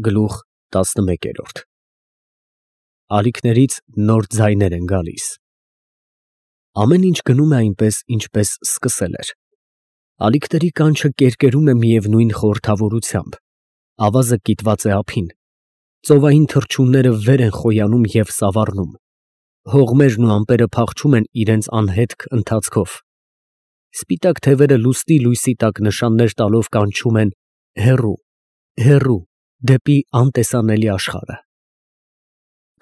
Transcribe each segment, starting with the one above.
Գլուխ 11 Ալիքներից նոր ձայներ են գալիս։ Ամեն ինչ գնում է այնպես, ինչպես սկսել էր։ Ալիքների կանչը կերկերում է միևնույն խորհրդավորությամբ։ Ավազը կիտված է ափին։ Ծովային թռչունները վեր են խոյանում և սավառնում։ Հողմերն ու ամպերը փախչում են իրենց անհետք ընթացքով։ Սպիտակ թևերը լուսնի լույսի տակ նշաններ տալով կանչում են հեռու, հեռու, դեպի անտեսանելի աշխարհը։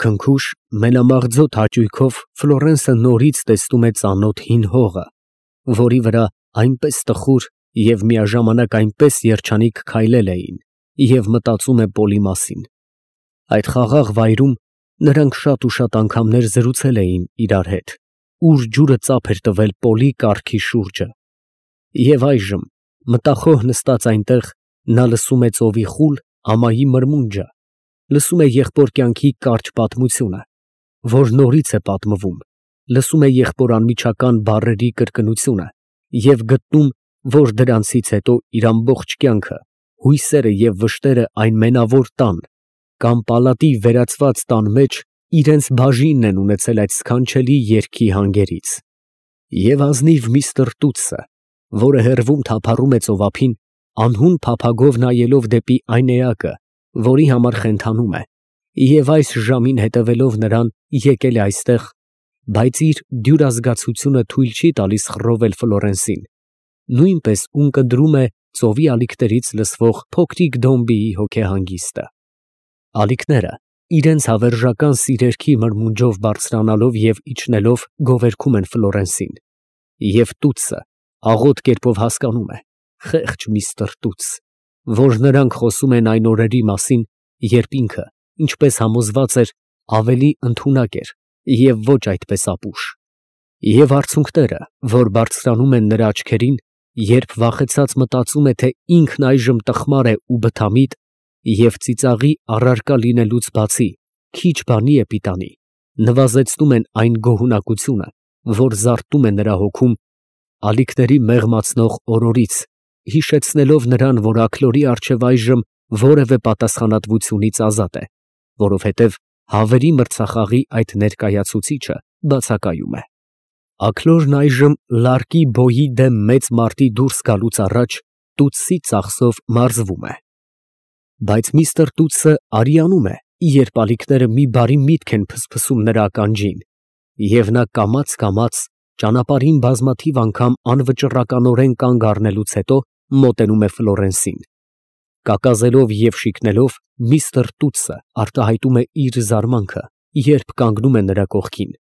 Քնքուշ, մենամաղձոտ հաճույքով Ֆլորենսը նորից տեսնում է ծանոթ հին հողը, որի վրա այնպես տխուր և միաժամանակ այնպես երջանիկ քայլել էին, և մտածում է Պոլի մասին։ Այդ խաղաղ վայրում նրանք շատ ու շատ անգամներ զրուցել էին իրար հետ, ուր ջուրը ծափ էր տվել Պոլի կառքի շուրջը։ Եվ այժմ, մտախոհ նստած այնտեղ, նա լսում է ծովի խուլ ամայի մրմունջը, լսում է եղբոր կյանքի կարճ պատմությունը, որ նորից է պատմվում, լսում է եղբոր անմիջական բառերի կրկնությունը և գտնում, որ դրանցից հետո իր ամբողջ կյանքը, հույսերը և վշտերը այն մենավոր տան կամ պալատի վերածված տան մեջ իրենց բաժինն են ունեցել այդ սքանչելի երգի հանգերից։ Եվ ազնիվ միստր Տուտսը, որը հեռվում թափառում է ծովափին, անհուն փափագով նայելով դեպի այն էակը, որի համար խենթանում է, և այս ժամին հետևելով նրան եկել է այստեղ, բայց իր դյուրազգացությունը թույլ չի տալիս խռովել Ֆլորենսին, նույնպես ունկնդրում է ծովի ալիքներից լսվող փոքրիկ Դոմբիի հոգեհանգիստը։ Ալիքները իրենց հավերժական սիրերքի մրմունջով բարձրանալով և իջնելով գովերգում են Ֆլորենսին, և Տուտսը աղոտ կերպով հասկանում է, խեղճ միստր Տուտս, որ նրանք խոսում են այն օրերի մասին, երբ ինքը, ինչպես համոզված էր, ավելի ընդունակ էր և ոչ այդպես ապուշ։ Եվ արցունքները, որ բարձրանում են նրա աչքերին, երբ վախեցած մտածում է, թե ինքն այժմ տխմար է ու բթամիտ և ծիծաղի առարկա լինելուց բացի քիչ բանի է պիտանի, նվազեցնում են այն գոհունակությունը, որ զարթնում է նրա հոգում ալիքների մեղմացնող օրորից, հիշեցնելով նրան, որ աքլորի առջև այժմ որևէ պատասխանատվությունից ազատ է, որովհետև հավերի մրցախաղի այդ ներկայացուցիչը բացակայում է։ Աքլորն այժմ լարկի բոյի դեմ մեծ մարտի դուրս գալուց առաջ Տուտսի ծախսով մարզվում է։ Բայց միստր Տուտսը արիանում է, երբ ալիքները մի բարի միտք են փսփսում նրա ականջին, և նա կամաց ճանապարհին բազմաթիվ անգամ անվճռականորեն կանգ առնելուց հետո մոտենում է Ֆլորենսին։ Կակազելով և շիկնելով, միստր Տուտսը արտահայտում է իր զարմանքը, երբ կանգնում է նրա կողքին,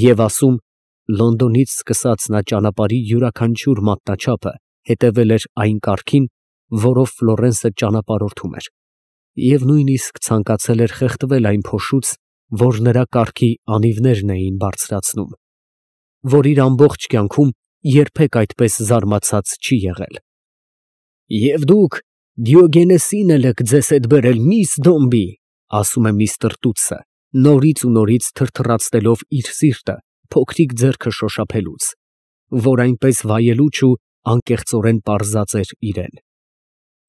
և ասում. Լոնդոնից սկսած նա ճանապարհի յուրաքանչյուր մատնաչափը հետևել էր այն կարգին, որով Ֆլորենսը ճանապարհորդում էր, և նույնիսկ ցանկացել էր խեղդվել այն փոշուց, որ նրա կառքի անիվներն էին բարձրացնում, որ իր ամբողջ կյանքում երբեք այդպես զարմացած չի եղել։ «Եվ դուք Դիոգենեսին էլ եք ձեզ հետ բերել, միս Դոմբի», ասում է միստր Տուտսը, նորից ու նորից թրթռացնելով իր սիրտը փոքրիկ ձեռքը շոշափելուց, որ այնպես վայելուչ ու անկեղծորեն պարզած էր իրան։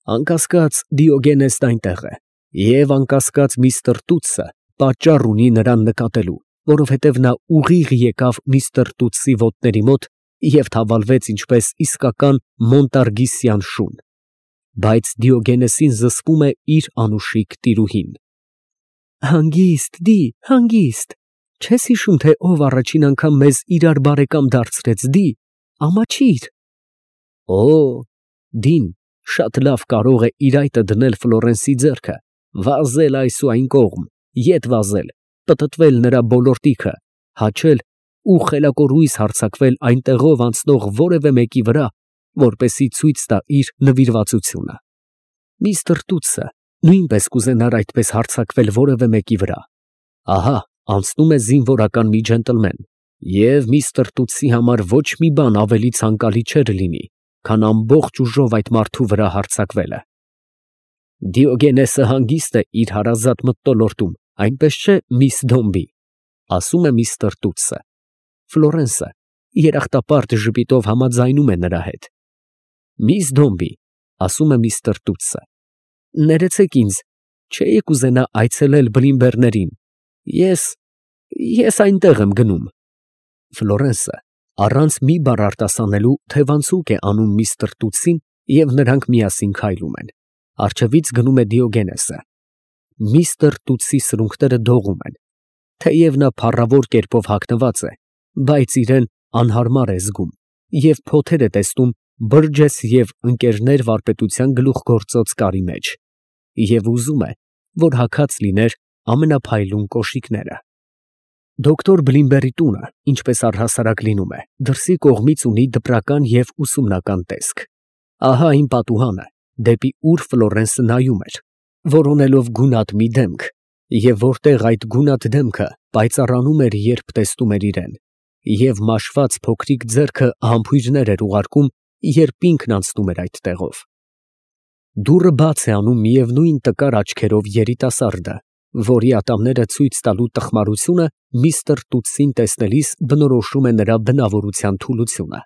Անկասկած Դիոգենեսն այնտեղ է, և անկասկած միստր Տուտսը պատճառ ունի նրան նկատելու, որովհետև նա ուղիղ եկավ միստր Տուտսի ոտների մոտ և թավալվեց ինչպես իսկական մոնտարգիսյան շուն, բայց Դիոգենեսին զսպում է իր անուշիկ տիրուհին։ Հանգիստ, հանգիստ, չես հիշում, թե ով առաջին անգամ մեզ իրար բարեկամ դարձրեց, ամաչիր։ Օ, Դին շատ լավ կարող է իր այտը դնել Ֆլորենսի ձեռքը, վազել այս ու այն կողմ, ետ վազել, պտտվել նրա բոլոր տիքը, հաչել ու խելակորույս հարձակվել այնտեղով անցնող որևէ մեկի վրա, որպեսզի ցույց տա իր նվիրվածությունը։ Միստր Տուտսը նույնպես կուզենար այդպես հարձակվել որևէ մեկի վրա։ Ահա անցնում է զինվորական մի ջենտլմեն, և միստր Տուտսի համար ոչ մի բան ավելի ցանկալի չէր լինի, քան ամբողջ ուժով այդ մարդու վրա հարձակվելը։ Դիոգենեսը հանգիստ է իր հարազատ մթնոլորտում, այնպես չէ, միս Դոմբի, ասում է միստր Տուտսը։ Ֆլորենսը երախտապարտ ժպիտով համաձայնում է նրա հետ։ Միս Դոմբի, ասում է միստր Տուտսը, ներեցեք ինձ, չէի կուզենա այցելել Բլինբերներին։ Ես այնտեղ եմ գնում։ Ֆլորենսը առանց մի բառ արտասանելու թևանցուկ է անում միստր Տուտսին և նրանք միասին քայլում են։ Առջևից գնում է Դիոգենեսը։ Միստր Տուտսի սրունքները դողում են։ Թեև նա փառավոր կերպով հագնված է, բայց իրեն անհարմար է զգում և փոթեր է տեսնում Բըրջես և Ընկերներ վարպետության գլուխգործոց կարի մեջ և ուզում է, որ հագած լիներ ամենափայլուն կոշիկները։ Դոկտոր Բլինբերի տունը, ինչպես առհասարակ լինում է, դրսի կողմից ունի դպրական և ուսումնական տեսք։ Ահա այն պատուհանը, դեպի ուր Ֆլորենսը նայում էր, որոնելով գունատ մի դեմք, և որտեղ այդ գունատ դեմքը պայծառանում էր, երբ տեսնում էր իրեն, և մաշված փոքրիկ ձեռքը համբույրներ էր ուղարկում, երբ ինքն անցնում էր այդ տեղով։ Դուռը բաց է անում միևնույն տկար աչքերով երիտասարդը, որի ատամները ցույց տալու տխմարությունը միստր Տուտսին տեսնելիս բնորոշում է նրա բնավորության թուլությունը։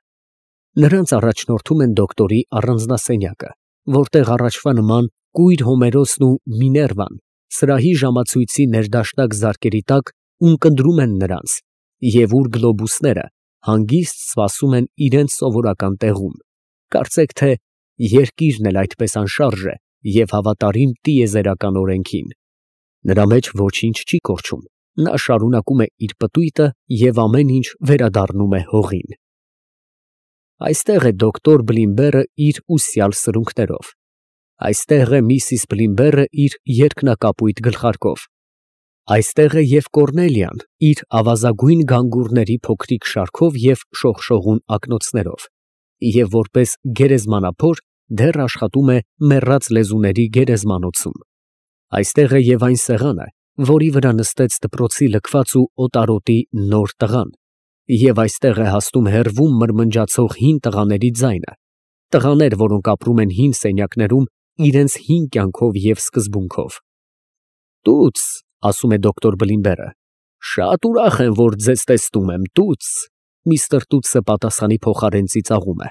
Նրանց առաջնորդում են դոկտորի առանձնասենյակը, որտեղ առաջվա նման կույր Հոմերոսն ու Միներվան սրահի ժամացույցի ներդաշնակ զարկերի տակ ունկնդրում են նրանց, և ուր գլոբուսները հանգիստ սպասում են իրենց սովորական տեղում, կարծեք թե երկիրն էլ այդպես անշարժ է և հավատարիմ տիեզերական օրենքին։ Նրա մեջ ոչինչ չի կորչում, նա շարունակում է իր պտույտը և ամեն ինչ վերադառնում է հողին։ Այստեղ է դոկտոր Բլինբերը իր ուսյալ սրունքներով։ Այստեղ է միսիս Բլինբերը իր երկնակապույտ գլխարկով։ Այստեղ է և Կոռնելիան իր ավազագույն գանգուրների փոքրիկ շարքով և շողշողուն ակնոցներով, և որպես գերեզմանափոր դեռ աշխատում է մեռած լեզուների գերեզմանոցում։ Այստեղ է և այն սեղանը, որի վրա նստեց դպրոցի լքված ու օտարոտի նոր տղան, և այստեղ է հասնում հեռվում մրմնջացող հին տղաների ձայնը, տղաներ, որոնք ապրում են հին սենյակներում իրենց հին կյանքով և սկզբունքով։ Տուց, ասում է դոկտոր Բլինբերը, շատ ուրախ եմ, որ ձեզ տեսնում եմ, Տուց։ Միստր Տուտսը պատասխանի փոխարեն ծիծաղում է։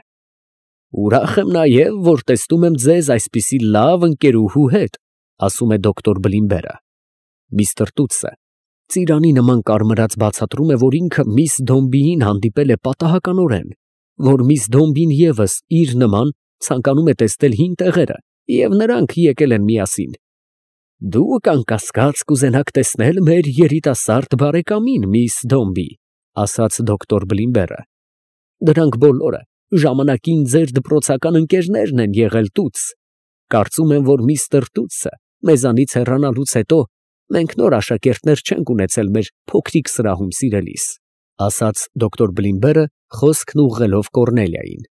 Ուրախ եմ նաև, որ տեսնում եմ ձեզ այսպիսի լավ ընկերուհու հետ, ասում է դոկտոր Բլինբերը։ Միստր Տուտսը ծիրանի նման կարմրած բացատրում է, որ ինքը միս Դոմբիին հանդիպել է պատահականորեն, որ միս Դոմբին ևս իր նման ցանկանում է տեսնել հին տեղերը, և նրանք եկել են միասին։ Դուք անկասկած կուզենաք տեսնել մեր երիտասարդ բարեկամին, միս Դոմբի, ասաց դոկտոր Բլինբերը։ Դրանք բոլորը ժամանակին ձեր դպրոցական ընկերներն են եղել, Տուց։ Կարծում եմ, որ միստր Տուտսը մեզանից հեռանալուց հետո մենք նոր աշակերտներ չենք ունեցել մեր փոքրիկ սրահում, սիրելիս, ասաց դոկտոր Բլինբերը, խոսքն ուղղելով Կոռնելիային։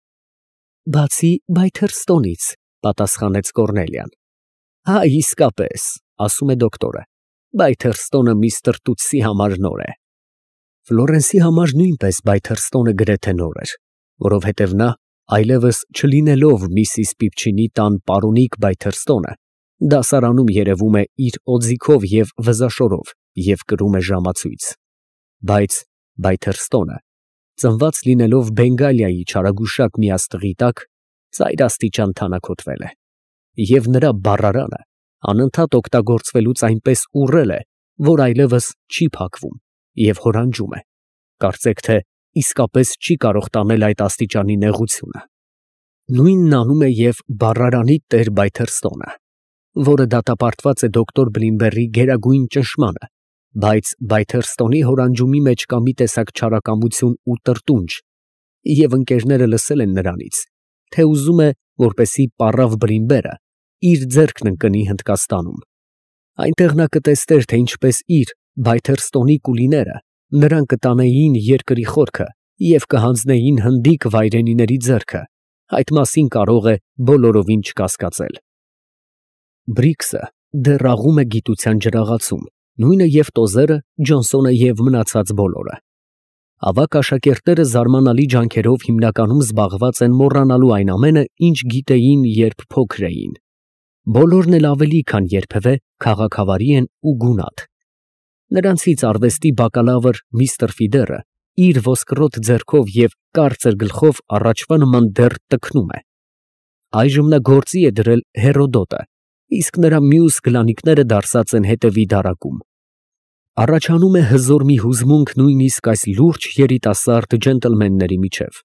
Բացի Բայթերստոնից, պատասխանեց Կոռնելիան։ Հա, իսկապես, ասում է դոկտորը, Բայթերստոնը միստր Տուտսի համար նոր է։ Ֆլորենսի համար նույնպես Բայթերստոնը գրեթե նոր էր, որովհետև նա, այլևս չլինելով միսիս Պիպչինի տան պարոնիկ Բայթերստոնը, դասարանում երևում է իր օձիքով և վզաշորով և կրում է ժամացույց։ Բայց Բայթերստոնը, ծնված լինելով Բենգալիայի չարագուշակ մի աստղի տակ, ծայրաստիճան թանաքոտվել է, և նրա բառարանը անընդհատ օգտագործվելուց այնպես ուռել է, որ այլևս չի փակվում և հորանջում է, կարծեք թե իսկապես չի կարող տանել այդ աստիճանի նեղությունը։ Նույնն անում է և բառարանի տեր Բայթերստոնը, որը դատապարտված է դոկտոր Բլինբերի գերագույն ճնշմանը, բայց Բայթերստոնի հորանջումի մեջ կա մի տեսակ չարակամություն ու տրտունջ, և ընկերները լսել են նրանից, թե ուզում է, որպեսզի պառավ Բլինբերը իր ձեռքն ընկնի Հնդկաստանում։ Այնտեղ նա կտեսներ, թե ինչպես իր Բայթերստոնի կուլիները նրան կտանեին երկրի խորքը և կհանձնեին հնդիկ վայրենիների ձեռքը, այդ մասին կարող է բոլորովին չկասկածել։ Բրիքսը դեռ աղում է գիտության ջրաղացում, նույնը և Տոզերը, Ջոնսոնը և մնացած բոլորը։ Ավագ աշակերտները զարմանալի ջանքերով հիմնականում զբաղված են մոռանալու այն ամենը, ինչ գիտեին, երբ փոքր էին։ Բոլորն էլ ավելի քան երբևէ քաղաքավարի են ու գունատ։ Նրանցից արվեստի բակալավր միստր Ֆիդերը իր ոսկրոտ ձեռքով և կարծր գլխով առաջվա նման դեռ տքնում է։ Այժմ նա գործի է դրել Հերոդոտը իսկ նրա մյուս գլանիկները դարսած են հետևի դարակում։ Առաջանում է հզոր մի հուզմունք նույնիսկ այս լուրջ երիտասարդ ջենտլմենների միջև,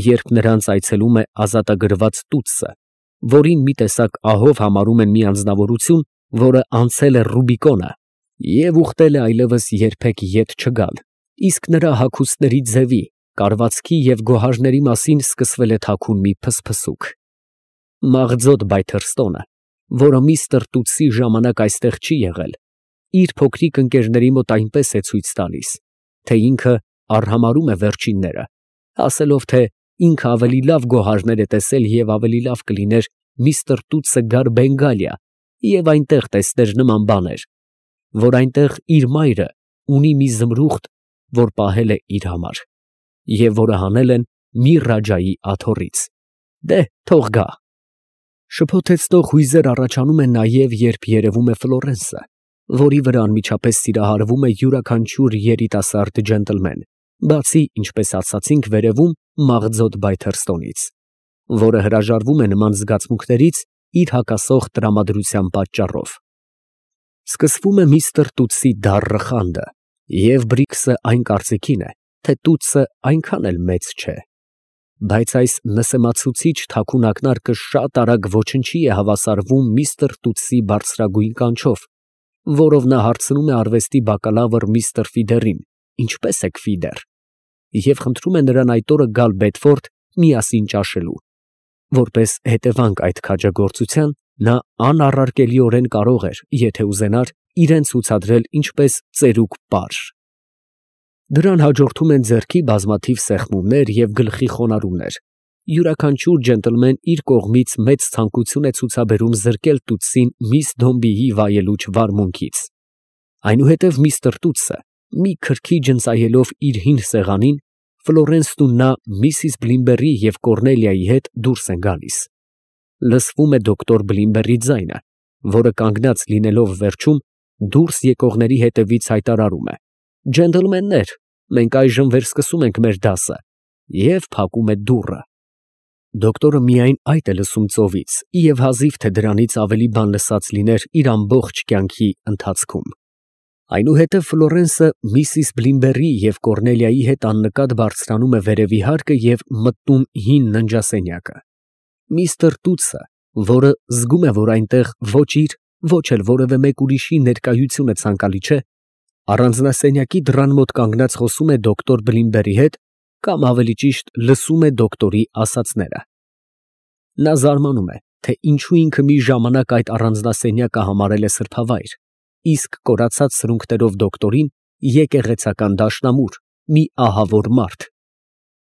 երբ նրանց այցելում է ազատագրված տուտսը, որին մի տեսակ ահով համարում են մի անձնավորություն, որը անցել է Ռուբիկոնը և ուխտել է այլևս երբեք ետ չգալ, իսկ նրա հագուստների ձևի, կարվածքի և գոհարների մասին սկսվել է թաքուն մի փսփսուկ։ Մաղձոտ Բայթերստոնը, որը միստր Տուտսի ժամանակ այստեղ չի եղել, իր փոքրիկ ընկերների մոտ այնպես է ցույց տալիս, թե ինքը արհամարհում է վերջինները, ասելով, թե ինքը ավելի լավ գոհարներ է տեսել և ավելի լավ կլիներ միստր Տուտսը գար Բենգալիա և այնտեղ տեսներ նման բաներ, որ այնտեղ իր մայրը ունի մի զմրուխտ, որ պահել է իր համար, և որը հանել են մի ռաջայի աթոռից։ Դե, թող գա։ Շփոթեցնող հույզեր առաջանում են նաև, երբ երևում է Ֆլորենսը, որի վրա անմիջապես սիրահարվում է յուրաքանչյուր երիտասարդ ջենտլմեն, բացի, ինչպես ասացինք վերևում, մաղձոտ Բայթերստոնից, որը հրաժարվում է նման զգացմունքներից իր հակասող տրամադրության պատճառով։ Սկսվում է միստր Տուտսի դառը խանդը, և Բրիքսը այն կարծիքին է, թե Տուտսը այնքան էլ մեծ չէ, բայց այս նսեմացուցիչ թաքուն ակնարկը շատ արագ ոչնչի է հավասարվում միստր Տուտսի բարձրագույն կանչով, որով նա հարցնում է արվեստի բակալավր միստր Ֆիդերին. ինչպես եք Ֆիդեր, և խնդրում է նրան այդ օրը գալ Բեդֆորդ միասին ճաշելու։ Որպես հետևանք այդ քաջագործության, նա անառարկելիորեն կարող էր, եթե ուզենար, իրեն ցուցադրել ինչպես ծերուկ պարժ։ Դրան հաջորդում են ձեռքի բազմաթիվ սեղմումներ և գլխի խոնարհումներ, յուրաքանչյուր ջենտլմեն իր կողմից մեծ ցանկություն է ցուցաբերում զրկել Տուտսին միս Դոմբիի վայելուչ վարմունքից։ Այնուհետև միստր Տուտսը, մի քրքիջ ընծայելով իր հին սեղանին, Ֆլորենսն ու նա միսիս Բլիմբերի և Կոռնելիայի հետ դուրս են գալիս։ Լսվում է դոկտոր Բլիմբերի ձայնը, որը կանգնած լինելով վերջում, դուրս եկողների հետևից հայտարարում է. «Ջենտլմեններ, մենք այժմ վերսկսում ենք մեր դասը» և փակում է դուռը։ Դոկտորը միայն այդ է լսում ծովից և հազիվ թե դրանից ավելի բան լսած լիներ իր ամբողջ կյանքի ընթացքում։ Այնուհետև Ֆլորենսը միսիս Բլիմբերի և Կոռնելիայի հետ աննկատ բարձրանում է վերևի հարկը և մտնում հին ննջասենյակը։ Միստր Տուտսը, որը զգում է, որ այնտեղ ոչ իր, ոչ էլ որևէ մեկ ուրիշի ներկայությունը ցանկալի չէ, առանձնասենյակի դռան մոտ կանգնած խոսում է դոկտոր Բլիմբերի հետ, կամ ավելի ճիշտ լսում է դոկտորի ասածները։ Նա զարմանում է, թե ինչու ինքը մի ժամանակ այդ առանձնասենյակը համարել է սրբավայր, իսկ կորացած սրունքներով դոկտորին եկեղեցական դաշնամուր, մի ահավոր մարդ։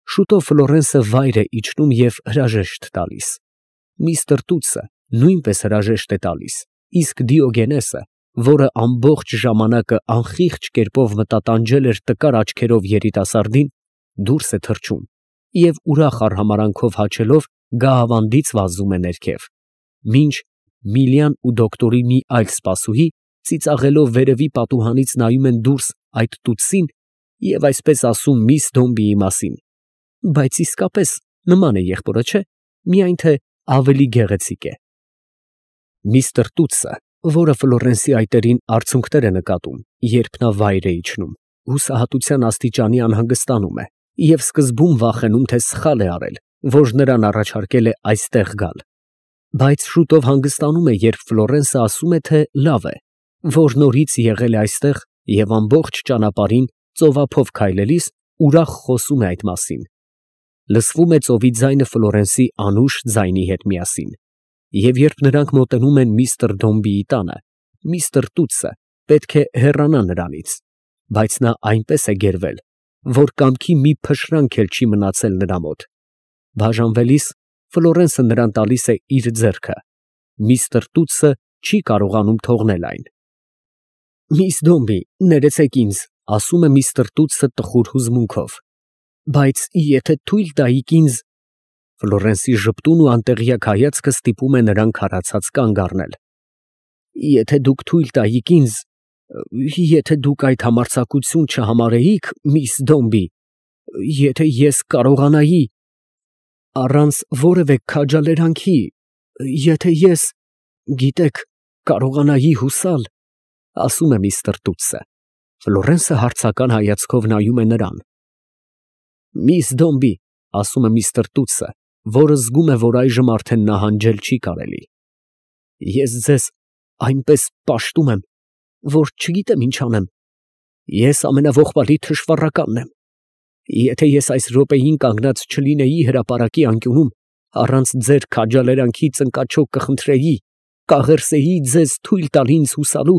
Շուտով Ֆլորենսը վայր է իջնում և հրաժեշտ տալիս։ Միստր Տուտսը նույնպես հրաժեշտ է տալիս, իսկ Դիոգենեսը, որը ամբողջ ժամանակը անխիղճ կերպով մտատանջել էր տկար աչքերով երիտասարդին, դուրս է թռչում և ուրախ արհամարանքով հաչելով գահավանդից վազում է ներքև, մինչ Միլիան ու դոկտորի մի այլ սպասուհի ծիծաղելով վերևի պատուհանից նայում են դուրս այդ Տուտսին և այսպես ասում միս Դոմբիի մասին. բայց իսկապես նման է եղբորը, չէ՞, միայն թե ավելի գեղեցիկ է։ Միստր Տուտսը, որը Ֆլորենսի այտերին արցունքներ է նկատում, երբ նա վայր է իջնում, հուսահատության աստիճանի անհանգստանում է և սկզբում վախենում, թե սխալ է արել, որ նրան առաջարկել է այստեղ գալ, բայց շուտով հանգստանում է, երբ Ֆլորենսը ասում է, թե լավ է, որ նորից եղել է այստեղ և ամբողջ ճանապարհին ծովափով քայլելիս ուրախ խոսում է այդ մասին։ Լսվում է ծովի ձայնը Ֆլորենսի անուշ ձայնի հետ միասին, և երբ նրանք մոտենում են միստր Դոմբիի տանը, միստր Տուտսը պետք է հեռանա նրանից, բայց նա այնպես է գերվել, որ կամքի մի փշրանք էլ չի մնացել նրա մոտ։ Բաժանվելիս Ֆլորենսը նրան տալիս է իր ձեռքը, միստր Տուտսը չի կարողանում թողնել այն։ «Միս Դոմբի, ներեցեք ինձ», ասում է միստր Տուտսը տխուր հուզմունքով, բայց եթե թույլ տայիք ինձ… Ֆլորենսի ժպտուն ու անտեղյակ հայացքը ստիպում է նրան քարացած կանգ առնել։ «Եթե դուք թույլ տայիք ինձ… եթե դուք այդ համարձակություն չհամարեիք, միս Դոմբի… եթե ես կարողանայի… առանց որևէ քաջալերանքի… եթե ես… գիտեք, կարողանայի հուսալ, ասում է միստր Տուտսը։ Ֆլորենսը հարցական հայացքով նայում է նրան։ Միս Դոմբի, ասում է միստր Տուտսը, որը զգում է, որ այժմ արդեն նահանջել չի կարելի։ Ես ձեզ այնպես պաշտում եմ, որ չգիտեմ ինչ անեմ։ Ես ամենաողբալի թշվառականն եմ։ Եթե ես այս րոպեին կանգնած չլինեի հրապարակի անկյունում, առանց ձեր քաջալերանքի ծնկաչոք կխնդրեի, կաղերսեի ձեզ թույլ տալ ինձ հուսալու,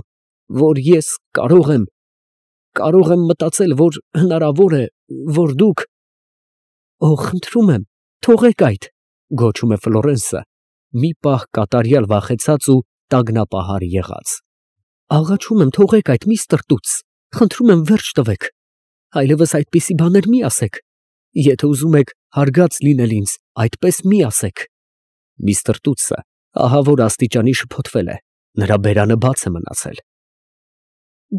որ ես կարող եմ մտածել, որ հնարավոր է, որ դուք… Խնդրում եմ, թողեք այդ, գոչում է Ֆլորենսը, մի պահ կատարյալ վախեցած ու տագնապահար եղած։ Աղաչում եմ, թողեք այդ, միստր Տուտս, խնդրում եմ, վերջ տվեք, այլևս այդպիսի բաներ մի ասեք։ Եթե ուզում եք հարգած լինել ինձ, այդպես մի ասեք։ Միստր Տուտսը ահա որ աստիճանի շփոթվել է, նրա բերանը բաց է մնացել։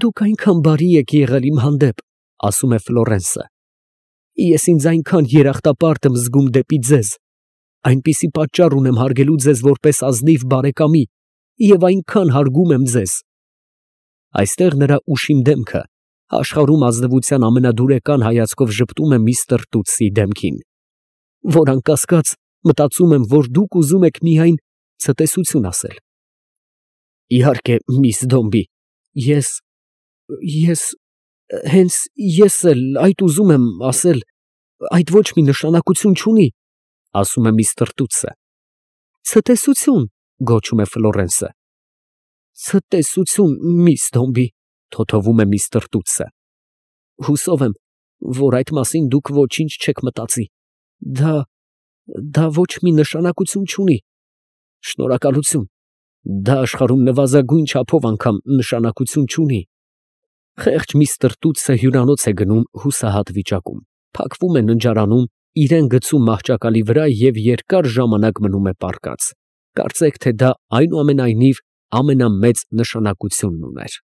Դուք այնքան բարի եք եղել իմ հանդեպ, ասում է Ֆլորենսը։ Ես ինձ այնքան երախտապարտ եմ զգում դեպի ձեզ, այնպիսի պատճառ ունեմ հարգելու ձեզ որպես ազնիվ բարեկամի և այնքան հարգում եմ ձեզ։ Այստեղ նրա ուշիմ դեմքը աշխարհում ազնվության ամենադուրեկան հայացքով ժպտում է միստր Տուտսի դեմքին, որ անկասկած մտածում եմ, որ դուք ուզում եք միայն ցտեսություն ասել։ Իհարկե, միս Դոմբի, հենց ես էլ այդ ուզում եմ ասել, այդ ոչ մի նշանակություն չունի, ասում է միստր Տուտսը։ Ցտեսություն, գոչում է Ֆլորենսը։ Ցտեսություն, միս Դոմբի, թոթովում է միստր Տուտսը։ Հուսով եմ, որ այդ մասին դուք ոչինչ չեք մտածի։ Դա ոչ մի նշանակություն չունի։ Շնորհակալություն։ Դա աշխարհում նվազագույն չափով անգամ նշանակություն չունի։ Խեղճ միստր Տուտսը հյուրանոց է գնում հուսահատ վիճակում, փակվում է ննջարանում, իրան գցում մահճակալի վրա և երկար ժամանակ մնում է պառկած։ Կարծեք, թե դա այնուամենայնիվ ամենամեծ նշանակությունն ուներ։